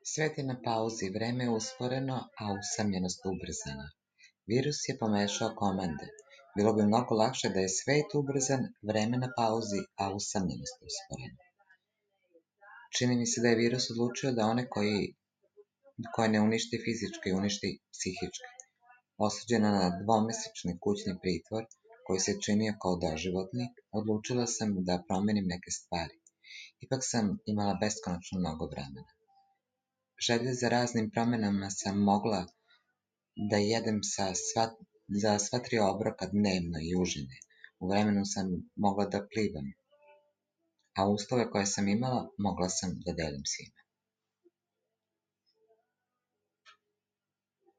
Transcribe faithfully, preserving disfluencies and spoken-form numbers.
Svet je na pauzi, vreme je usporeno, a usamljenost ubrzana. Virus je pomešao komande. Bilo bi mnogo lakše da je svet ubrzan, vreme na pauzi, a usamljenost usporena. Čini mi se da je virus odlučio da one koji, koje ne uništi fizički, uništi psihički. Osuđena na dvomesečni kućni pritvor, koji se činio kao doživotni, odlučila sam da promenim neke stvari. Ipak sam imala beskonačno mnogo vremena. Želje za raznim promenama sam mogla da jedem sa sva, za sva tri obroka dnevno i užine. U vremenu sam mogla da plivam, a uslove koje sam imala mogla sam da delim svima.